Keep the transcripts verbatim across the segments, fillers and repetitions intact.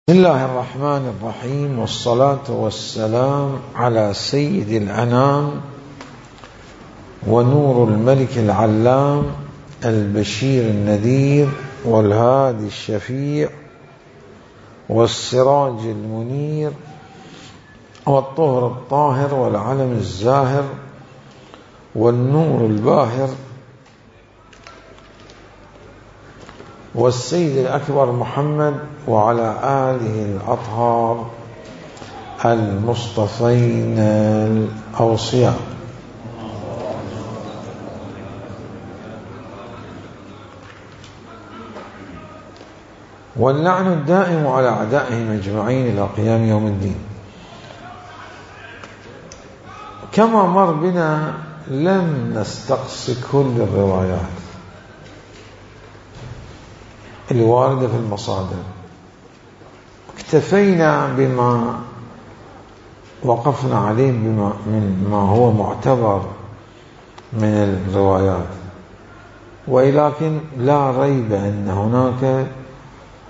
بسم الله الرحمن الرحيم، والصلاة والسلام على سيد الأنام ونور الملك العلام البشير النذير والهادي الشفيع والسراج المنير والطهر الطاهر والعلم الزاهر والنور الباهر والسيد الأكبر محمد وعلى آله الأطهار المصطفين الأوصياء. واللعن الدائم على أعدائهم أجمعين إلى قيام يوم الدين. كما مر بنا لم نستقصي كل الروايات الواردة في المصادر، اكتفينا بما وقفنا عليه بما من ما هو معتبر من الروايات، ولكن لا ريب أن هناك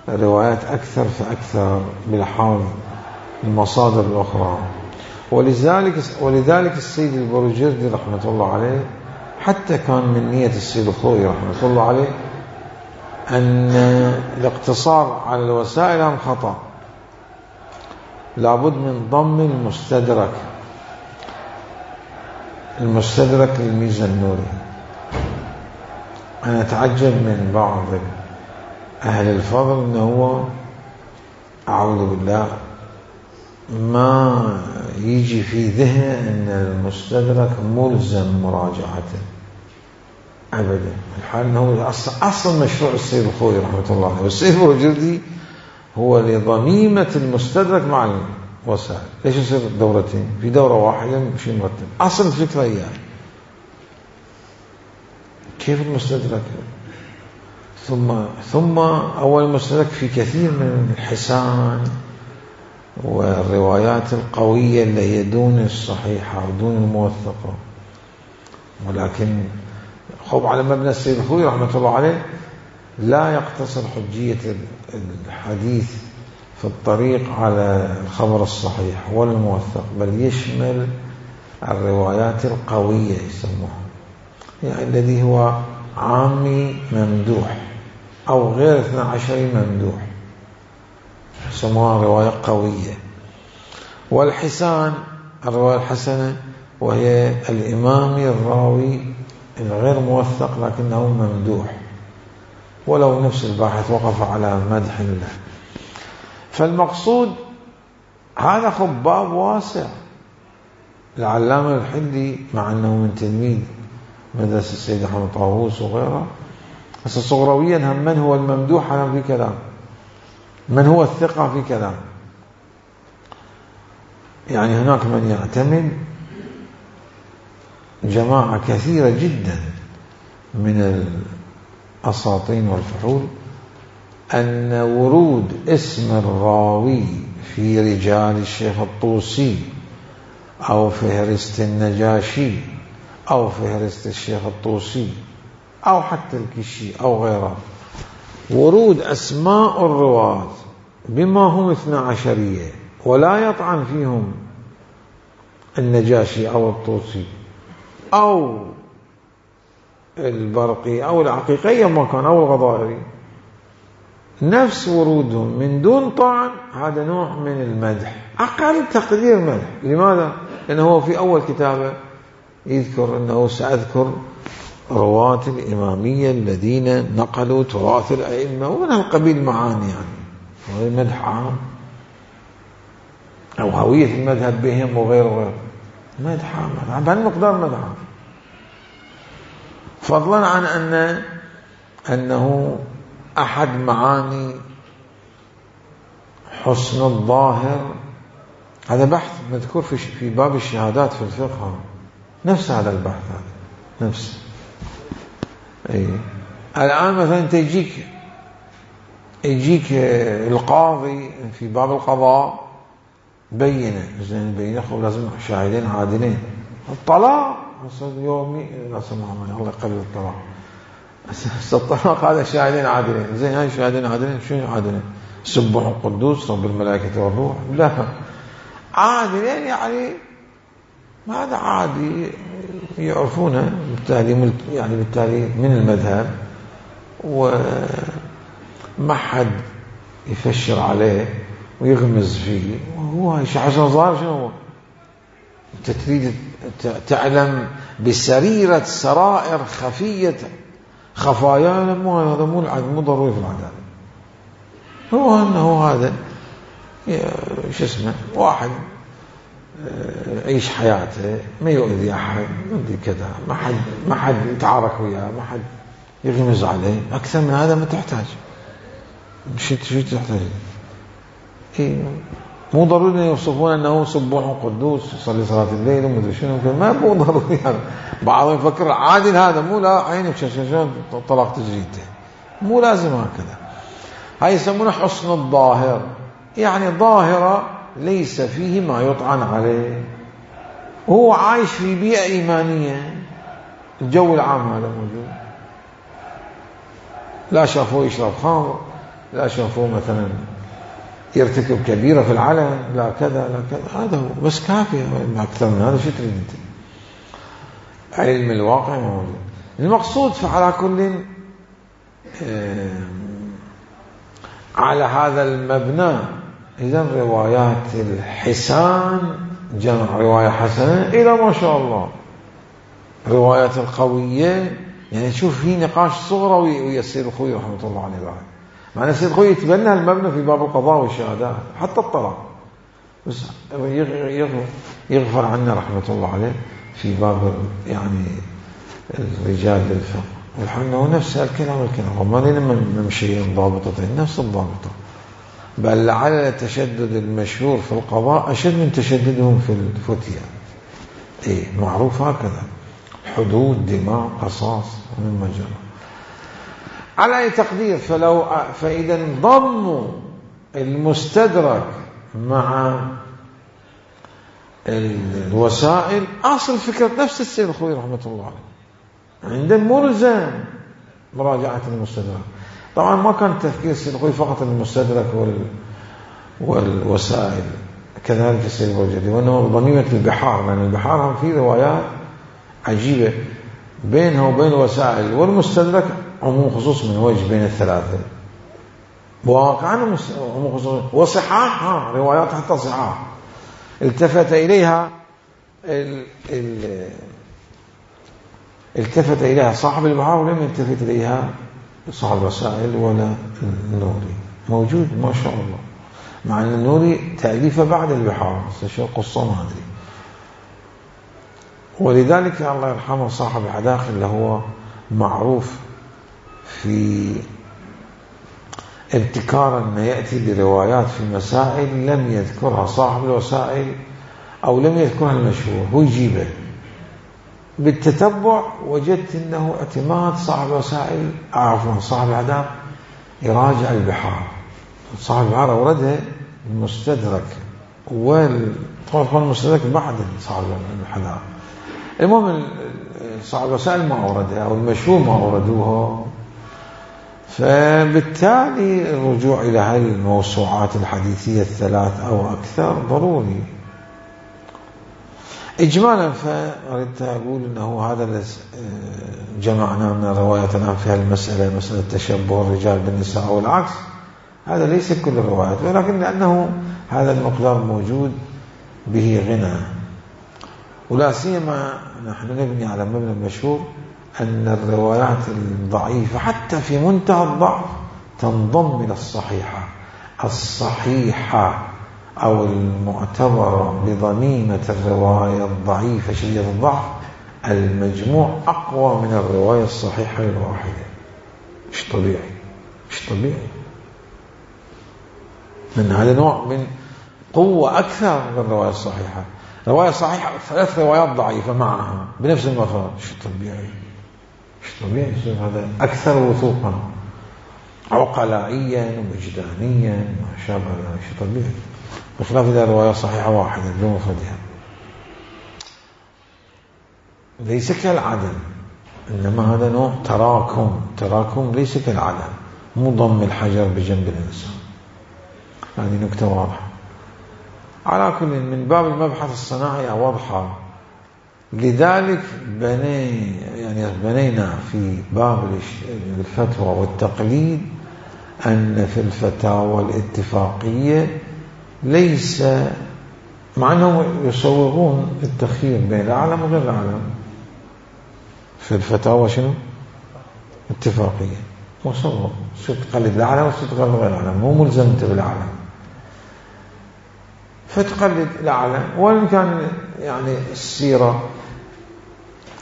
روايات أكثر فأكثر بالحاظ المصادر الأخرى. ولذلك ولذلك السيد البروجردي رحمة الله عليه حتى كان من نية السيد الخوئي رحمة الله عليه أن الاقتصار على الوسائل هم خطأ، لابد من ضم المستدرك المستدرك للميزانوري. أنا أتعجب من بعض أهل الفضل أنه هو أعوذ بالله ما يجي في ذهنه أن المستدرك ملزم مراجعته أبدا، الحال أنه أصلا مشروع السيد الخوئي رحمة الله عليه، والسيد البروجردي هو لضميمة المستدرك مع الوسائل. ليش يصير دورتين في دورة واحدة مش مرتب؟ أصل الفكرة يعني كيف المستدرك ثم ثم أول المستدرك في كثير من الحسان والروايات القوية اللي هي دون الصحيحة ودون الموثقة، ولكن خب على مبنى السيد الخوئي رحمة الله عليه لا يقتصر حجية الحديث في الطريق على الخبر الصحيح ولا الموثق، بل يشمل الروايات القوية يسموها، يعني الذي هو عامي ممدوح أو غير اثنى عشري ممدوح يسموها رواية قوية. والحسان الرواية الحسنة وهي الإمامي الراوي الغير موثق لكنه ممدوح ولو نفس الباحث وقف على مدح الله. فالمقصود هذا خباب واسع. العلامة الحلي مع أنه من تلميذ مدرسة السيد أحمد طاووس وغيره، بس صغرويا هم من هو الممدوح أنا في كلام، من هو الثقة في كلام. يعني هناك من يعتمد جماعة كثيرة جدا من الأساطين والفحول أن ورود اسم الراوي في رجال الشيخ الطوسي أو فهرست النجاشي أو فهرست الشيخ الطوسي أو حتى الكشي أو غيره، ورود أسماء الرواة بما هم اثنى عشرية ولا يطعن فيهم النجاشي أو الطوسي أو البرقي أو العقيقي ما كان أو الغضائري، نفس ورودهم من دون طعن، هذا نوع من المدح، أقل تقدير مدح. لماذا؟ لأنه هو في أول كتابه يذكر أنه سأذكر رواة الإمامية الذين نقلوا تراث الأئمة ومن هالقبيل معاني، يعني هو مدح عام أو هوية المذهب بهم وغير غير مدح عام، بهالمقدار مدح عام، فضلا عن أن أنه أحد معاني حسن الظاهر. هذا بحث مذكور في في باب الشهادات في الفقه، نفس هذا البحث هذا نفس. أي الآن مثلا تجيك يجيك القاضي في باب القضاء بينه، زين بينه خو لازم شاهدين عادلين. الطلاق يومي لا سمح الله يقبل الطلاق، الطلاق هذا شاهدين عادلين، زين هاي شاهدين عادلين شنو عادلين؟ سبح القدوس رب الملائكة والروح، لا عادي يعني هذا عادي يعرفونه بالتالي، يعني بالتالي من المذهب، وما حد يفشر عليه ويغمز فيه، وهو عشان ظاهر شنو هو. انت تريد تعلم بسريرة سرائر خفية خفايا، مو هذا مو مو ضروري في العدالة. هو انه هذا شو اسمه واحد يعيش حياته ما يؤذي احد، ما ادري كذا، ما حد ما حد يتعارك وياه، ما حد يغمز عليه، اكثر من هذا ما تحتاج. شو شو تحتاج؟ إيه مو ضروري يوصفون انه سبوح قدوس يصلي صلاه الليل وما ادري شنو، ما مو ضروري يعني. بعضهم يفكر عادي هذا، مو لا عينك شلون طلاق تجريده، مو لازم هكذا. هاي يسمونه حسن الظاهر، يعني ظاهرة ليس فيه ما يطعن عليه، هو عايش في بيئة إيمانية، الجو العام هذا موجود، لا شافوه يشرب خمر، لا شافوه مثلا يرتكب كبيرة في العلن، لا كذا لا كذا، هذا هو بس كافي. أكثر من هذا شو تريد أنت؟ علم الواقع موجود. المقصود فعلى كل على هذا المبنى، إذا روايات الحسان جمع رواية حسنة إلى ما شاء الله روايات القوية. يعني تشوف في نقاش صغرى ويا السيد الخوي رحمة الله عليه بعد، معنى السيد الخوي يتبنى المبنى في باب القضاء والشهادات حتى الطلاق، بس يغفر عنا رحمة الله عليه في باب يعني الرجال للفقه والحنة، ونفس الكلام الكلام وما لنا نمشي ضابطتين نفس الضابطة، بل لعل التشدد المشهور في القضاء أشد من تشددهم في الفتية. إيه معروف هكذا، حدود دماء قصاص من مجرى. على أي تقدير، فلو فإذا ضموا المستدرك مع الوسائل، أصل فكرة نفس السيد الخوي رحمة الله عليه عندهم ملزم مراجعة المستدرك. طبعا ما كان تفكير السيد الخوي فقط المستدرك وال والوسائل، كذلك السيد البوجدي، وأنه ضميمة البحار، لأن البحار هم في روايات عجيبة بينها وبين الوسائل والمستدرك عموم خصوص من وجه بين الثلاثة، واقعا عموم خصوص وصحاحها روايات حتى صحاح التفت إليها ال ال التفت إليها صاحب البحار ولم يلتفت إليها صاحب الوسائل ولا النوري. موجود ما شاء الله، مع أن النوري تأليفه بعد البحار، شو قصة ما أدري. ولذلك الله يرحمه صاحب الحداقل اللي هو معروف في ابتكار أن يأتي بروايات في مسائل لم يذكرها صاحب الوسائل أو لم يذكرها المشهور، هو يجيبه بالتتبع. وجدت أنه اعتماد صاحب الوسائل، عفوا صاحب الحداقل، يراجع البحار. صاحب البحار أوردها المستدرك، والطبعا المستدرك بعد صاحب الحداقل. المهم صاحب الوسائل ما أوردها أو المشهور ما أوردوها، فبالتالي الرجوع إلى هذه الموسوعات الحديثية الثلاث أو أكثر ضروري. إجمالا فأردت أقول أنه هذا الذي جمعنا من الروايات الآن في هالمسألة، مسألة تشبه الرجال بالنساء أو العكس، هذا ليس كل الروايات، ولكن لأنه هذا المقدار موجود به غنى. ولا سيما نحن نبني على مبنى المشهور أن الروايات الضعيفة حتى في منتهى الضعف تنضم إلى الصحيحة. الصحيحة أو المعتبرة بضميمة الرواية الضعيفة شديدة الضعف، المجموع أقوى من الرواية الصحيحة الواحدة. مش طبيعي، مش طبيعي. من هذا النوع من قوة أكثر من الرواية الصحيحة. رواية صحيحة ثلاث روايات ضعيفة معها بنفس المفرد، مش طبيعي، مش طبيعي. هذا أكثر وثوقا عقلائيا ووجدانيا ما شابه ذلك، مش طبيعي، بخلاف إذا رواية صحيحة واحدة بمفردها. ليس كالعدم، إنما هذا نوع تراكم. تراكم ليس كالعدم، مو ضم الحجر بجنب الإنسان. هذه نكتة واضحة. على كل من باب المبحث الصناعي واضحة. لذلك بني يعني بنينا في باب الفتوى والتقليد أن في الفتاوى الاتفاقية ليس، مع أنهم يصورون التخيير بين الأعلم وغير الأعلم في الفتاوى شنو؟ اتفاقية مصور، صرت تقلد الأعلم وصرت تقلد غير الأعلم، مو ملزمت بالأعلم، فتقلد الأعلم. وإن كان يعني السيرة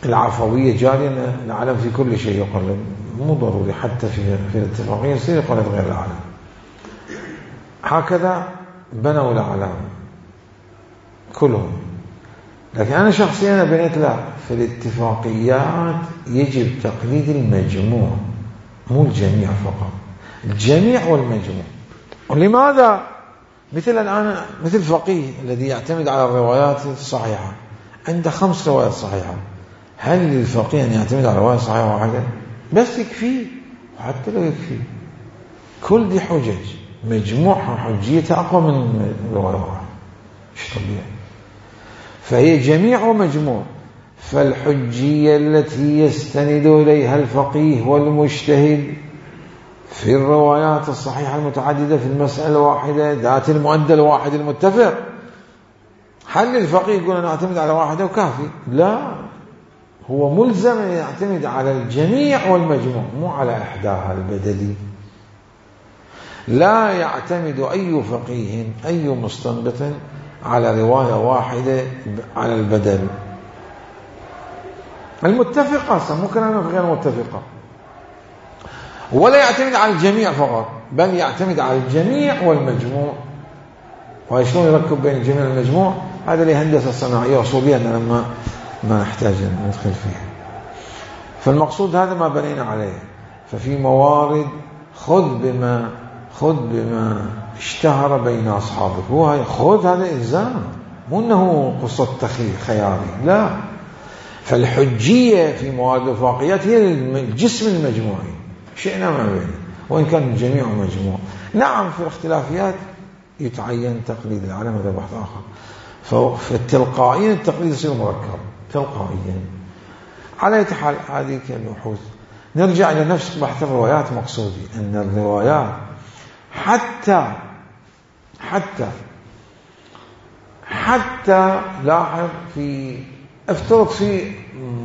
العفوية جارية الأعلم في كل شيء يقلد، مو ضروري حتى في في الاتفاقية يصير يقلد غير الأعلم. هكذا بنوا الأعلام كلهم. لكن أنا شخصيا بنيت لا، في الاتفاقيات يجب تقليد المجموع مو الجميع فقط، الجميع والمجموع. ولماذا؟ مثل الآن مثل الفقيه الذي يعتمد على الروايات الصحيحة، عنده خمس روايات صحيحة، هل للفقيه أن يعتمد على رواية صحيحة واحدة؟ بس يكفي، وحتى لو يكفي كل دي حجج مجموعها حجيتها أقوى من رواية واحدة، مش طبيعي. فهي جميع ومجموع. فالحجية التي يستند إليها الفقيه والمجتهد في الروايات الصحيحة المتعددة في المسألة الواحدة ذات المؤدى الواحد المتفق، هل الفقيه يقول أنا أعتمد على واحدة وكافي؟ لا، هو ملزم أن يعتمد على الجميع والمجموع، مو على إحداها البدلي. لا يعتمد أي فقيه أي مستنبط على رواية واحدة على البدل المتفقة، ممكن أنا غير متفقة. ولا يعتمد على الجميع فقط، بل يعتمد على الجميع والمجموع. وشلون يركب بين الجميع والمجموع؟ هذا اللي هندسة صناعية أصولية أنا ما ما نحتاج ندخل فيها. فالمقصود هذا ما بنينا عليه. ففي موارد خذ بما خذ بما اشتهر بين أصحابك، هو خذ، هذا إلزام، مو أنه قصة تخيل خيالي، لا. فالحجية في موارد الوفاقيات هي الجسم المجموعي، شئنا ما بين، وإن كان الجميع مجموع. نعم في الاختلافيات يتعين تقليد العالم، هذا بحث آخر. فالتلقائيا التقليد يصير مركب تلقائيا. على أي حال هذه كالبحوث. نرجع إلى نفس بحث الروايات. مقصودي أن الروايات حتى حتى حتى لاحظ في افترض في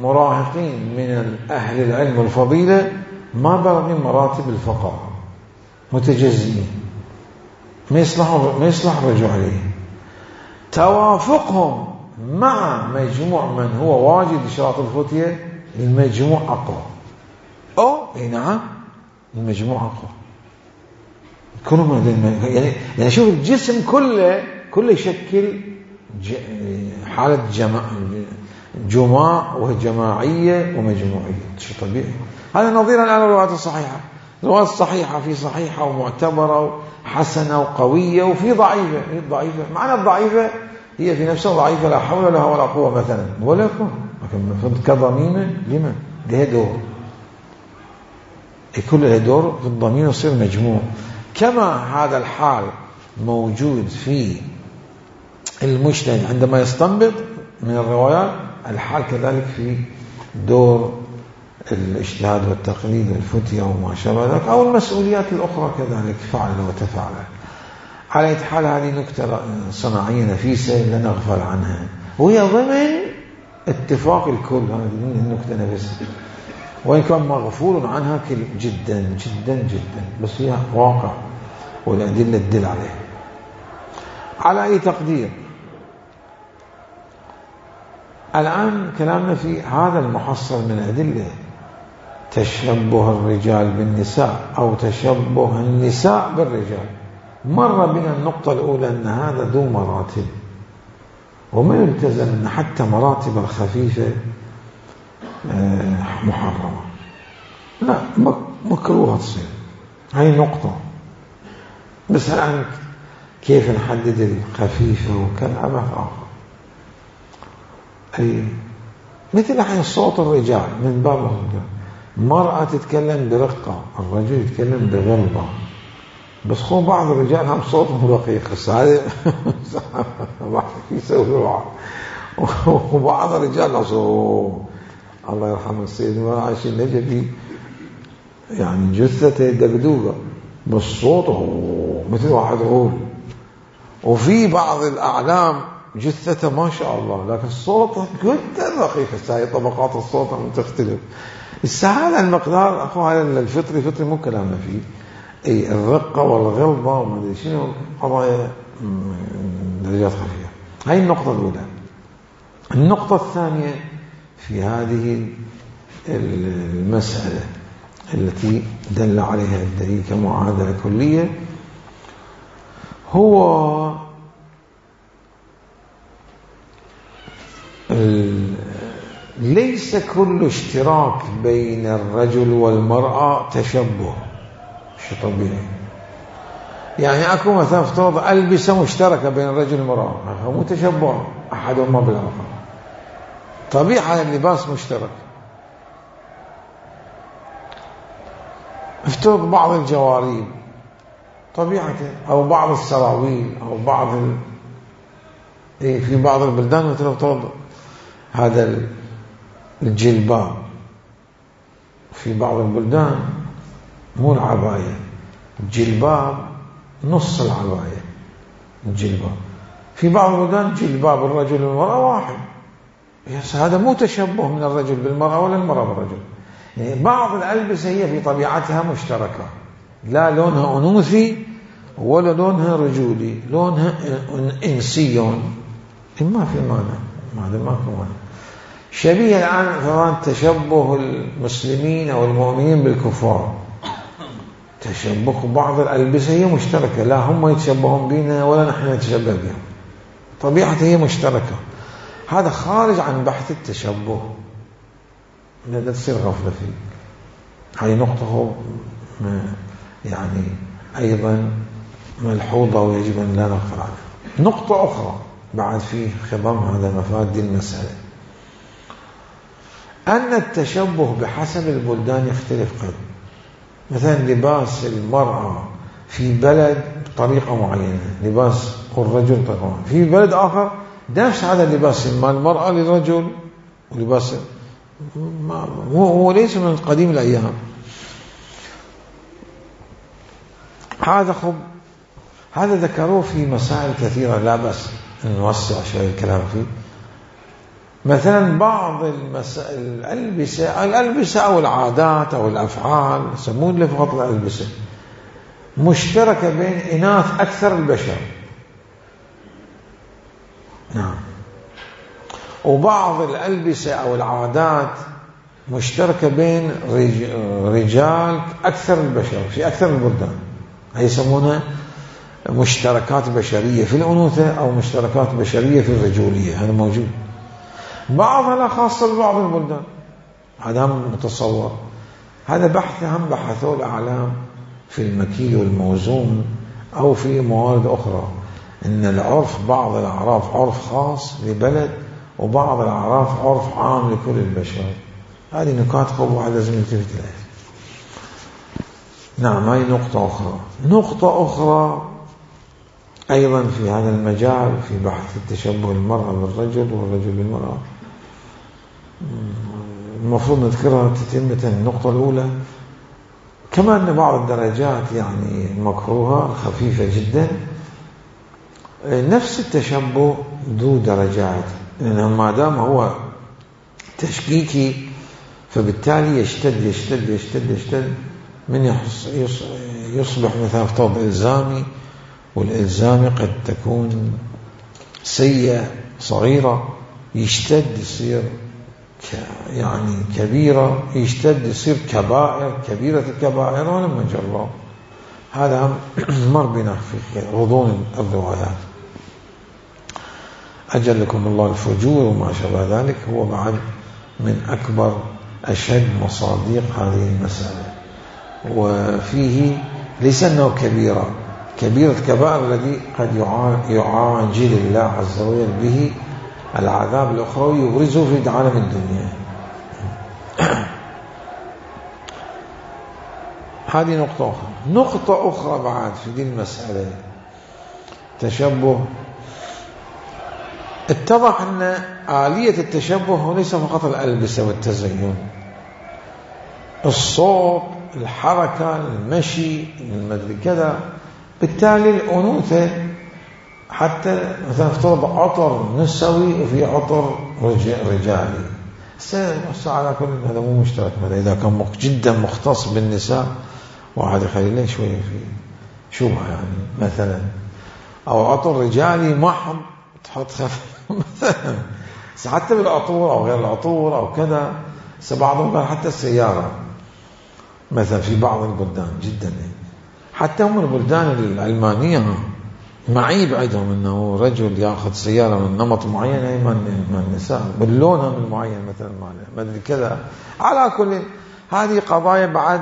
مراهقين من أهل العلم والفضيلة ما بلغين مراتب الفقه، متجزئين، ما يصلح ما يصلح الرجوع عليه. توافقهم مع مجموع من هو واجد شراط الفتية، المجموع أقوى. أو نعم المجموع أقوى. كلهم يعني يعني شوف الجسم كله كله يشكل حالة جماع جماع وجماعية ومجموعية، شيء طبيعي. هذا نظيرا على الروايات الصحيحة. الروايات الصحيحة في صحيحة ومعتبرة وحسنة وقوية، وفي ضعيفة. ضعيفة معنى الضعيفة هي في نفسها ضعيفة، لا حول لها ولا قوة مثلا ولا كون، لكن كضميمة لمن لها دور، يكون لها دور في الضمير يصير مجموع. كما هذا الحال موجود في المجتهد عندما يستنبط من الروايات، الحال كذلك في دور الاجتهاد والتقليد والفتية وما شابه ذلك، أو المسؤوليات الأخرى كذلك، فعل وتفعل. على حال هذه نكتة صناعية نفيسة لا نغفل عنها، وهي ضمن اتفاق الكل. هذه النكتة نفسها وإن كان مغفول عنها جدا جدا جدا، بس هي واقع والأدلة تدل عليه. على أي تقدير الآن كلامنا في هذا المحصل من أدلة تشبه الرجال بالنساء أو تشبه النساء بالرجال. مر بنا النقطة الأولى أن هذا ذو مراتب، وما يلتزم أن حتى مراتب الخفيفة محرمة، لا مكروهة تصير. هاي نقطة. بس الآن كيف نحدد الخفيفة وكذا أبحث آخر. أي مثل الحين صوت الرجال من باب المرأة تتكلم برقة، الرجل يتكلم بغلظة. بس خو بعض الرجال هم صوتهم رقيق، هسه هذا ما يسوي بعض. وبعض الرجال أصوه الله يرحمه السيد مرعش النجفي، يعني جثته دقدوقة بس صوته مثل واحد غول. وفي بعض الأعلام جثته ما شاء الله لكن صوته جدا رقيق. هاي طبقات الصوت تختلف. هذا المقدار أخو هذا الفطري فطري مو كلامنا فيه. أي الرقة والغلظة وما أدري شنو قضايا درجات خفيفة. هاي النقطة الأولى. النقطة الثانية في هذه المسألة التي دل عليها الدليل كمعادلة كلية هو ليس كل اشتراك بين الرجل والمرأة تشبه. شيء طبيعي. يعني أكو مثلا افترض ألبسة مشتركة بين الرجل والمرأة، مو تشبه أحدهما بالآخر، طبيعة اللباس مشترك. افترض بعض الجواريب طبيعته، أو بعض السراويل، أو بعض ال... إيه في بعض البلدان مثل افترض هذا الجلباب، في بعض البلدان مو العباية، الجلباب نص العباية الجلباب. في بعض البلدان جلباب الرجل والمرأة واحد. يس هذا مو تشبه من الرجل بالمرأة ولا المرأة بالرجل. يعني بعض الألبسة هي في طبيعتها مشتركة، لا لونها أنوثي ولا لونها رجولي، لونها إنسي، ما في معنى، هذا ما في معنى. شبيه الآن فران تشبه المسلمين أو المؤمنين بالكفار، تشبه بعض الألبسة هي مشتركة، لا هم يتشبهون بنا ولا نحن نتشبه بهم، طبيعتها هي مشتركة. هذا خارج عن بحث التشبه، لا تصير غفلة فيه. هذه نقطة يعني أيضا ملحوظة ويجب أن لا نغفل عنها. نقطة أخرى بعد في خضم هذا مفاد دي المسألة، أن التشبه بحسب البلدان يختلف. قد مثلا لباس المرأة في بلد بطريقة معينة، لباس الرجل طريقة معينة، في بلد آخر نفس هذا اللباس مال المرأة للرجل ولباس هو ليس من قديم الأيام. هذا خب هذا ذكروه في مسائل كثيرة، لا بس نوسع شوية الكلام فيه. مثلا بعض المسائل الألبسة الألبسة أو العادات أو الأفعال يسمون لفظة الألبسة مشتركة بين إناث أكثر البشر، نعم. وبعض الألبسة أو العادات مشتركة بين رجال أكثر البشر في أكثر البلدان، هي يسمونها مشتركات بشرية في الأنوثة أو مشتركات بشرية في الرجولية. هذا موجود، بعضها لا خاصة ببعض البلدان، هذا هم متصور. هذا بحث هم بحثوا الأعلام في المكيل والموزون أو في موارد أخرى، إن العرف بعض الأعراف عرف خاص لبلد وبعض الأعراف عرف عام لكل البشر. هذه نقاط قوة لازم نلتفت إليها. نعم، هذه نقطة أخرى. نقطة أخرى أيضا في هذا المجال في بحث التشبه المرأة بالرجل والرجل بالمرأة، المفروض نذكرها تتمة. النقطة الأولى كما أن بعض الدرجات يعني مكروهة خفيفة جدا، نفس التشبه ذو درجات، لأنه ما دام هو تشكيكي فبالتالي يشتد يشتد يشتد يشتد من يصبح مثلا افترض إلزامي، والإلزامي قد تكون سيئة صغيرة، يشتد يصير يعني كبيرة، يشتد يصير كبائر كبيرة الكبائر ولما جاء الله. هذا مر بنا في غضون الروايات. أجلكم الله الفجور وما شابه ذلك هو بعد من أكبر أشد مصادق هذه المسألة، وفيه ليس أنه كبيرة كبيرة كبائر الذي قد يعاجل الله عز وجل به العذاب الأخروي يبرزه في عالم الدنيا. هذه نقطة أخرى. نقطة أخرى بعد في دي المسألة تشبه، اتضح أن آلية التشبه ليس فقط الألبسة والتزين، الصوت، الحركة، المشي، المدري كذا. بالتالي الأنوثة حتى مثلا افترض عطر نسوي وفي عطر رجالي، على كل هذا مو مشترك. إذا كان جدا مختص بالنساء واحد يخلي له شوية في شبهة يعني مثلا، أو عطر رجالي محض تحط خف مثلا، حتى بالعطور أو غير العطور أو كذا. بعضهم قال حتى السيارة مثلا في بعض البلدان جدا، حتى هم البلدان العلمانية معيب عندهم أنه رجل يأخذ سيارة من نمط معين أي من النساء باللونها من معين مثلا ما أدري كذا. على كل هذه قضايا بعد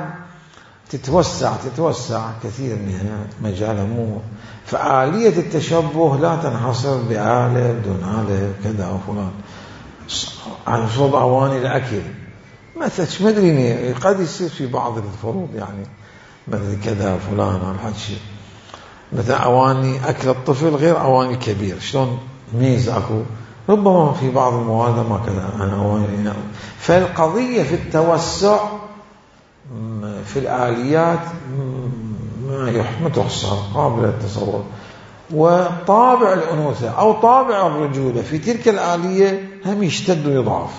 تتوسع تتوسع كثير منها مجالها مو. فآلية التشبه لا تنحصر بآلة بدون آلة كذا أو فلان. على صوب أواني الأكل مثلا ما أدري قد يصير في بعض الفروض يعني مثل كذا فلان أو هذا الشيء، مثلا أواني أكل الطفل غير أواني كبير، شلون ميز أكو ربما في بعض المواد ما كذا أنا أواني. فالقضية في التوسع في الآليات ما تحصر قابل للتصور. وطابع الأنوثة أو طابع الرجولة في تلك الآلية هم يشتد ويضعف،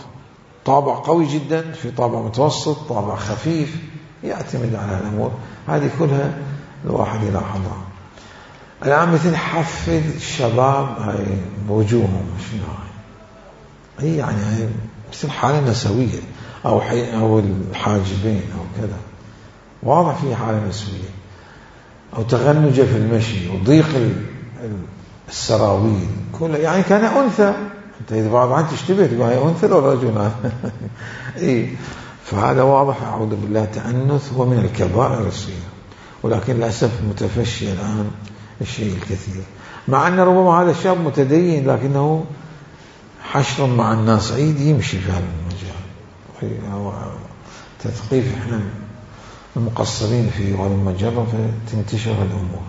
طابع قوي جدا، في طابع متوسط، طابع خفيف، يعتمد على الأمور هذه كلها الواحد يلاحظها. الآن مثل حفل الشباب هاي بوجوههم شنو هاي، هي يعني هاي مثل حالة نسوية أو حي أو الحاجبين أو كذا، واضح في حالة نسوية، أو تغنجة في المشي وضيق السراويل كلها، يعني كان أنثى. أنت إذا بعض عن تشتبه تقول هاي أنثى ولا رجل إيه. فهذا واضح أعوذ بالله تأنث هو من الكبائر الصغيرة، ولكن للأسف متفشي الآن الشيء الكثير، مع أن ربما هذا الشاب متدين لكنه حشر مع الناس عيد يمشي في هذا المجال، تثقيف إحنا المقصرين في هذا المجال فتنتشر الأمور.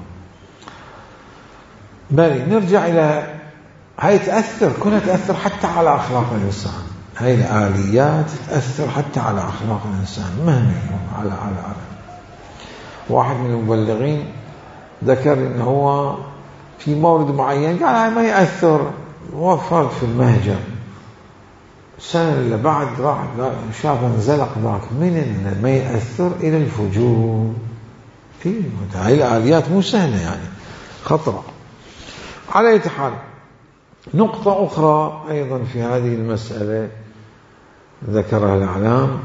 بل نرجع إلى هاي تأثر كلها تأثر حتى على أخلاق الإنسان، هاي الآليات تأثر حتى على أخلاق الإنسان مهما يكون. على على على واحد من المبلغين ذكر إنه هو في مورد معين قال هاي ما يأثر، وفر في المهجر السنة اللي بعد راح شاف انزلق ذاك من ما يأثر إلى الفجور. في هاي الآليات مو سهلة يعني خطرة. على أي حال نقطة أخرى أيضا في هذه المسألة ذكرها الإعلام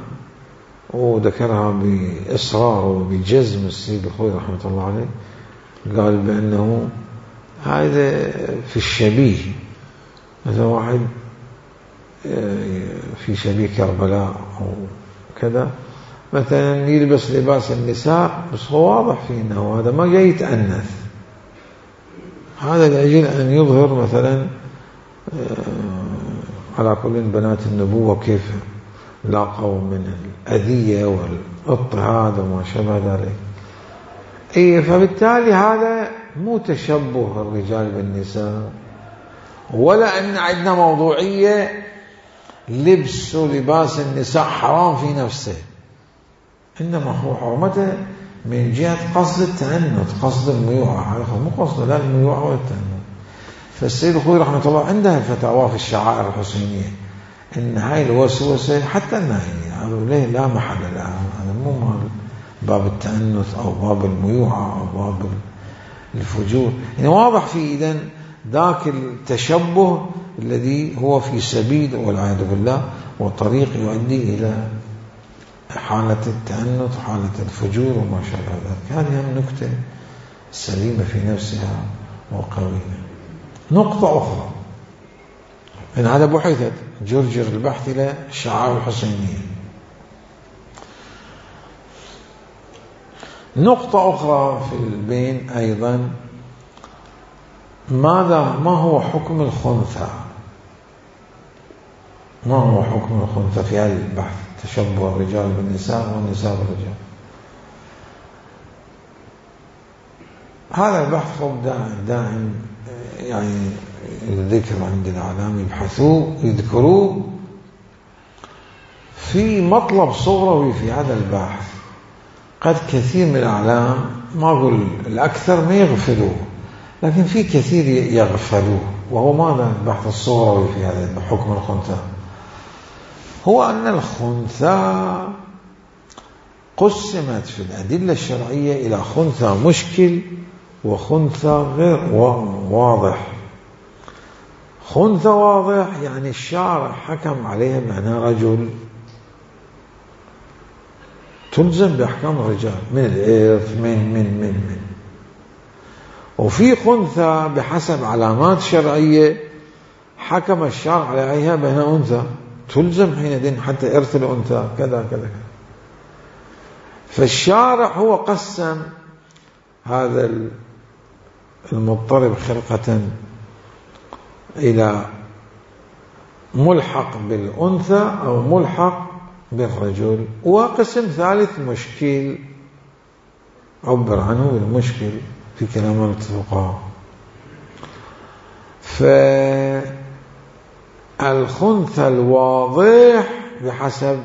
وذكرها بإصرار وبجزم السيد الخوي رحمة الله عليه، قال بأنه هذا في الشبيه، مثلا واحد في شبيه كربلاء أو كذا مثلا يلبس لباس النساء بس هو واضح فيه أنه هذا ما جاي يتأنث، هذا لأجل أن يظهر مثلا على كل بنات النبوة كيف لاقوا من الأذية والاضطهاد وما شابه ذلك. إيه فبالتالي هذا مو تشبه الرجال بالنساء، ولا أن عندنا موضوعية لبس ولباس النساء حرام في نفسه، إنما هو حرمته من جهة قصد التعنت، قصد الميوعة، هذا مو قصد لا الميوعة ولا التعنت. فالسيد الخوي رحمة الله عنده الفتاوى في الشعائر الحسينية إن هاي الوسوسة حتى النهي هذا ليه لا محل لها، هذا مو مال باب التأنث أو باب الميوعة أو باب الفجور. يعني واضح في إذن ذاك التشبه الذي هو في سبيل والعياذ بالله وطريق يؤدي إلى حالة التأنث وحالة الفجور وما شابه ذلك. هذه هم نكتة سليمة في نفسها وقوية. نقطة أخرى إن هذا بحثت جرجر البحث إلى الشعائر الحسينية. نقطة أخرى في البين أيضا ماذا ما هو حكم الخنثى، ما هو حكم الخنثى في هذا البحث، تشبه الرجال بالنساء والنساء بالرجال. هذا البحث خب دائم دائم يعني الذكر عند الإعلام يبحثوه يذكروه في مطلب صغروي في هذا البحث. قد كثير من الإعلام، ما أقول الأكثر، ما يغفلوه، لكن في كثير يغفلوه. وهو ماذا البحث الصغروي في هذا حكم الخنثى؟ هو أن الخنثى قسمت في الأدلة الشرعية إلى خنثى مشكل وخنثى غير واضح. خنثى واضح يعني الشارع حكم عليها بأنها رجل تلزم بأحكام الرجال من الإرث من من من من وفي خنثى بحسب علامات شرعية حكم الشارع عليها بأنها أنثى تلزم حينئذ حتى إرث الأنثى كذا كذا كذا. فالشارع هو قسم هذا المضطرب خلقة إلى ملحق بالأنثى أو ملحق بالرجل، وقسم ثالث مشكل عبر عنه بالمشكل في كلام الفقهاء. فالخنثى الواضح بحسب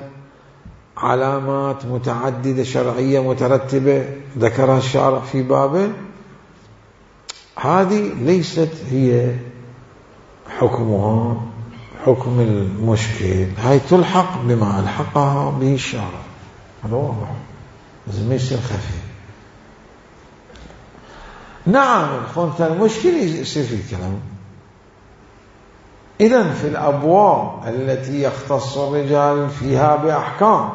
علامات متعددة شرعية مترتبة ذكرها الشارع في بابه، هذه ليست هي حكمها حكم المشكل، هاي تلحق بما ألحقها به الشارع. هذا واضح، لازم ما يصير خفي. نعم الخنثى المشكل يصير في الكلام. إذن في الأبواب التي يختص الرجال فيها بأحكام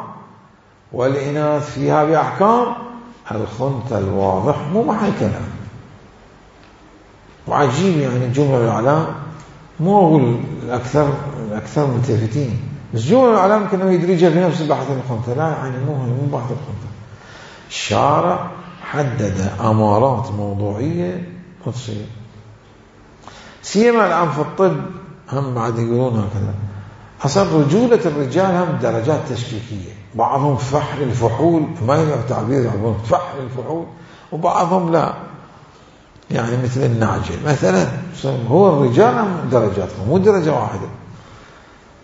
والإناث فيها بأحكام، الخنثى الواضح مو محل كلام. وعجيب يعني جملة الإعلام، مو أقول الأكثر الأكثر ملتفتين، بس جملة الإعلام كأنه يدرجها في نفس بحث الخنثى. لا يعني مو مو بحث الخنثى. الشارع حدد أمارات موضوعية وتصير، سيما الآن في الطب هم بعد يقولون هكذا. أصلا رجولة الرجال هم درجات تشكيكية، بعضهم فحل الفحول، ما يعرف تعبير يعبون فحل الفحول، وبعضهم لا، يعني مثل النعجل مثلا. هو الرجال هم درجاتهم مو درجة واحدة.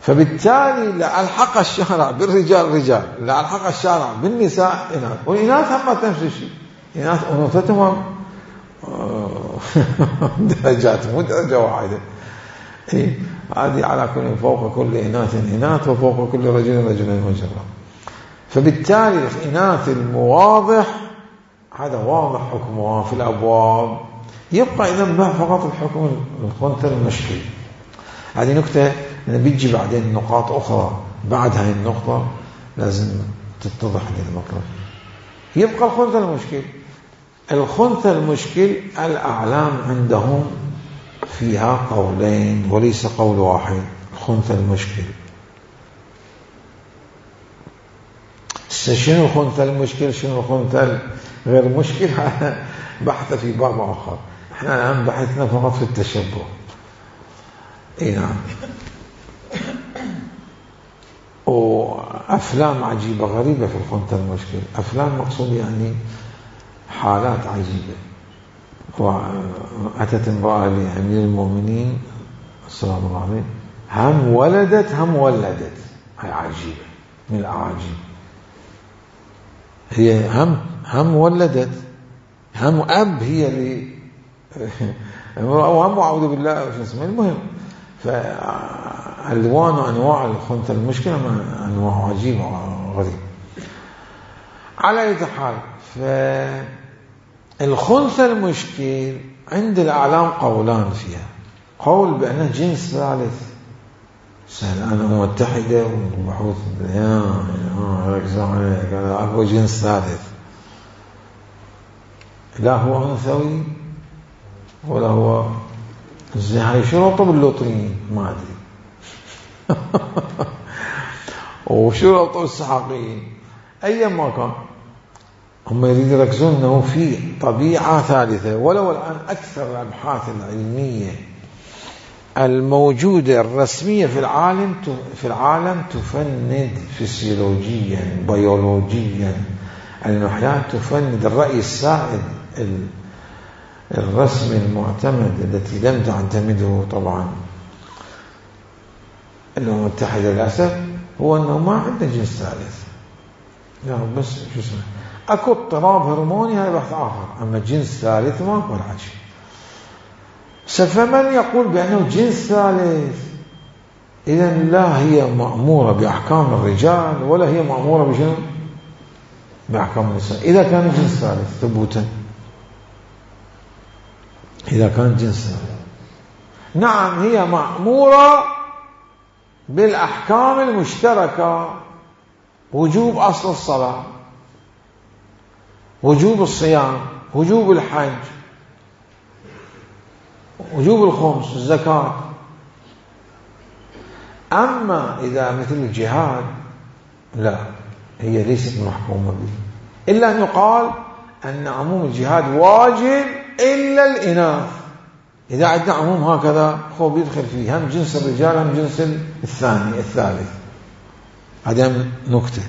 فبالتالي لا ألحق الشارع بالرجال رجال، لا ألحق الشارع بالنساء إناث، والإناث هم نفس الشيء، إناث أنوثتهم درجات مو درجة واحدة. إيه هذه على كل فوق كل إناث إناث وفوق كل رجل رجل مجرد. فبالتالي الإناث المواضح هذا واضح حكمها في الأبواب. يبقى إذا فقط الحكم الخنثى المشكل. هذه نكتة بيجي بعدين نقاط أخرى بعد هاي النقطة لازم تتضح هذا المطلب. يبقى الخنثى المشكل. الخنثى المشكل الأعلام عندهم فيها قولين وليس قول واحد. الخنثى المشكل شنو الخنثى المشكل شنو الخنثى غير مشكل بحث في باب آخر. احنا الآن بحثنا فقط في التشبه. اي نعم. وأفلام عجيبة غريبة في الخنثى المشكل. أفلام مقصود يعني حالات عجيبة. وأتت امرأة لأمير المؤمنين السلام الله عليه، هم ولدت هم ولدت. هي عجيبة من الأعاجيب. هي هم هم ولدت هم أب هي اللي وهم أعوذ بالله وش اسمه. المهم فألوان وأنواع الخنثى المشكلة أنواع عجيبة وغريبة. على أي حال فالخنثى المشكل عند الأعلام قولان فيها. قول بأنه جنس ثالث سهل أنا متحدة وبحوث يا هذا أكو جنس ثالث، لا هو أنثوي ولا هو زي هاي شرطة باللوطريين ما أدري وشرطة بالسحاقيين أيا ما كان. هم يريدون يركزون أنه في طبيعة ثالثة. ولو الآن أكثر الأبحاث العلمية الموجودة الرسمية في العالم في العالم تفند الرسم المعتمد التي لم تعتمده طبعا الأمم المتحدة للأسف هو أنه ما عنده جنس ثالث. يعني بس شو اسمه أكو اضطراب هرموني، هذا بحث آخر، أما جنس ثالث ما أكو ولا شيء. فمن يقول بأنه جنس ثالث إذا لا هي مأمورة بأحكام الرجال ولا هي مأمورة بشنو؟ بأحكام النساء. إذا كان جنس ثالث ثبوتا، إذا كان جنس ثالث نعم هي مأمورة بالأحكام المشتركة، وجوب أصل الصلاة، وجوب الصيام، وجوب الحج، وجوب الخمس، الزكاة. أما إذا مثل الجهاد لا، هي ليست محكومة به، إلا أن يقال أن عموم الجهاد واجب إلا الإناث. إذا عندنا عموم هكذا هو بيدخل فيه هم جنس الرجال هم جنس الثاني الثالث. هذا نكتة.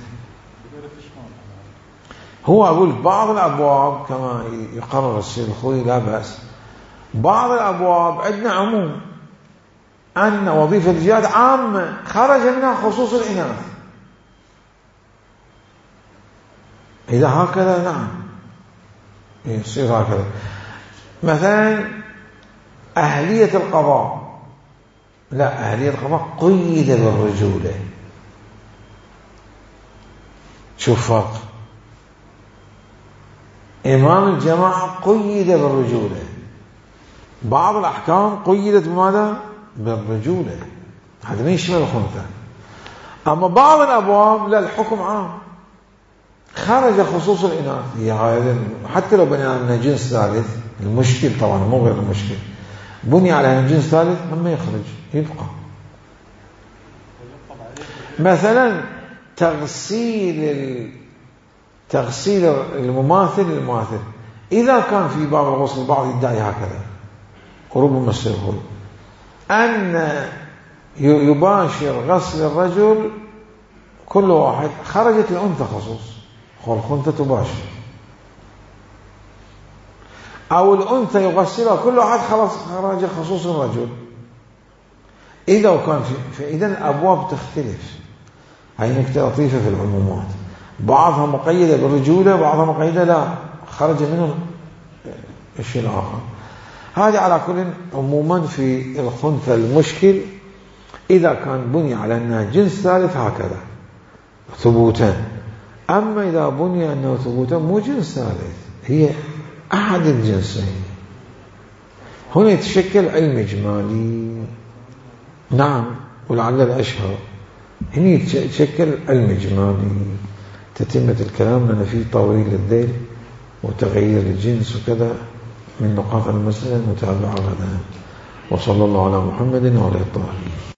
هو أقول بعض الأبواب كما يقرر السيد الخوي لا بأس، بعض الأبواب عندنا عموم أن وظيفة الجهاد عامة خرج منها خصوص الإناث. إذا هكذا نعم يصير هكذا. مثلا أهلية القضاء، لا، أهلية القضاء قيد بالرجولة. شوف فرق. إمام الجماعة قيد بالرجولة، بعض الأحكام قيدت بماذا؟ بالرجولة، هذا ما يشمل الخنثى. أما بعض الأبواب لا، الحكم عام خرج خصوص الإناث. هي هذا حتى لو بني على جنس ثالث، المشكل طبعا مو غير المشكل، بني على جنس ثالث لما يخرج يبقى. مثلا تغسيل تغسيل المماثل للمماثل، إذا كان في باب الغسل البعض يدعي هكذا وربما السيقول أن يباشر غسل الرجل كل واحد، خرجت الأنثى خصوص، الأنثى تباشر، أو الأنثى يغسلها كل واحد، خلاص خرج خصوص الرجل. إذا كان في فإذا الأبواب تختلف. هاي نكتة لطيفة في العمومات، بعضها مقيدة بالرجولة، بعضها مقيدة لا، خرج منه الشيء الآخر. هذا على كل. عموما في الخنثى المشكل إذا كان بني على أنها جنس ثالث هكذا ثبوتا. أما إذا بني أنه ثبوتا مو جنس ثالث، هي أحد الجنسين، هنا يتشكل علم إجمالي. نعم، ولعل الأشهر هنا يتشكل علم إجمالي. تتمة الكلام لنا فيه طويل الذيل وتغيير الجنس وكذا من نقاط المسألة المتابعة غدا. وصلى الله على محمد وعلى الطاهرين.